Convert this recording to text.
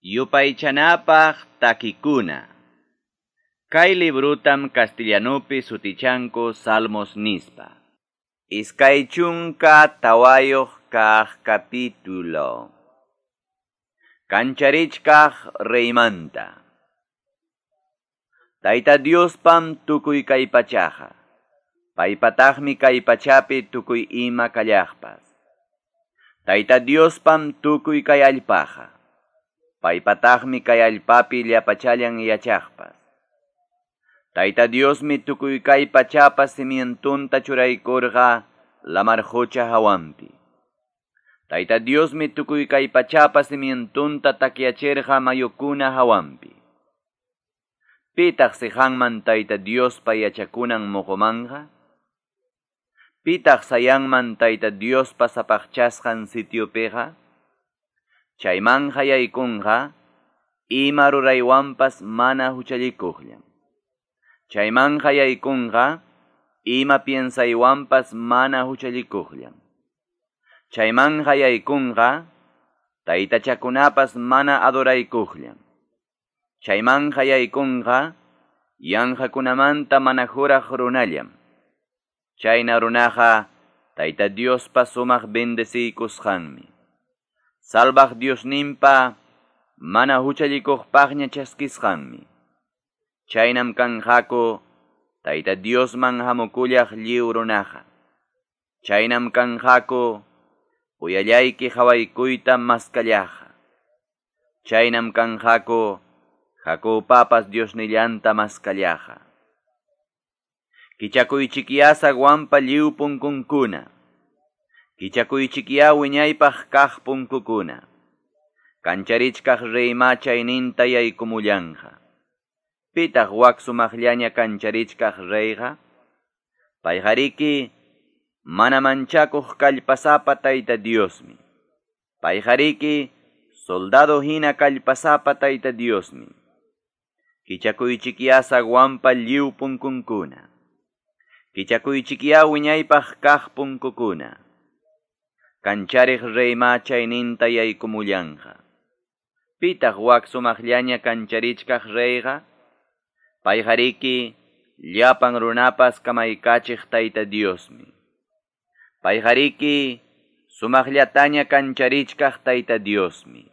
Yupaychanapaq takikuna. Kay librutam castellanupi sutichanku Salmos nispa. 24 kaq capítulo. Kancharichkaq reymanta. Tayta Diospam tukuy kay pachaqa. Paypataqmi kay pachapi tukuy ima kallaqpas. Tayta Diospam tukuy kay allpaqa. Paypataqmi kay allpapi llapachallan yachaqpas. Tayta Diosmi tukuy kay pachapa cimientunta churaykurqa lamar qucha hawanpi. Tayta Diosmi tukuy kay pachapa cimientunta takyachirqa mayukuna hawanpi. Pitaq siqanman Tayta Diospa yachakunan muqumanja? Pitaq sayanman Tayta Diospa sapaqchasqan sitiopiqa? Chaymanja yaykunqa ima ruraywanpas mana huchallikuqllam. Chaymanja yaykunqa ima piensaywanpas mana huchallikuqllam. Chaymanja yaykunqa taytachakunapas mana adoraykuqllam. Chaymanja yaykunqa yanqakunamanta mana juraq runallam. Chayna runaqa Tayta Diospa sumaq bendeciykusqanmi. Salbaq Diosninpa mana huchallikuqpaqña chaskisqanmi. Chaynam kanqaku Tayta Diosman hamukullaq lliw runaqa. Chaynam kanqaku uyallayki hawaykuyta maskallaqa. Chaynam kanqaku Jacobpapas Diosnillanta maskallaqa. Kichakuychikyá zaguanpa lliw punkunkuna. Kichakuychikyá wiñaypaq kaq punkukuna. Kancharichkaq reyma chayninta yaykumullanqa. Pitaq wak sumaqllaña kancharichkaq reyqa? Payqariki mana manchakuq kallpasapa Tayta Diosmi. Payqariki soldado hina kallpasapa Tayta Diosmi. Kichakuychikyá zaguanpa lliw punkunkuna. Kichakuychikyá wiñaypaq kaq punkukuna. Kanchariq reyma chayninta yaykumullanqa. Pitaq wak sumaqllaña kancharichkaq reyqa? Payqariki llapan runapas kamaykachiq Tayta Diosmi. Payqariki sumaqllataña kancharichkaq Tayta Diosmi.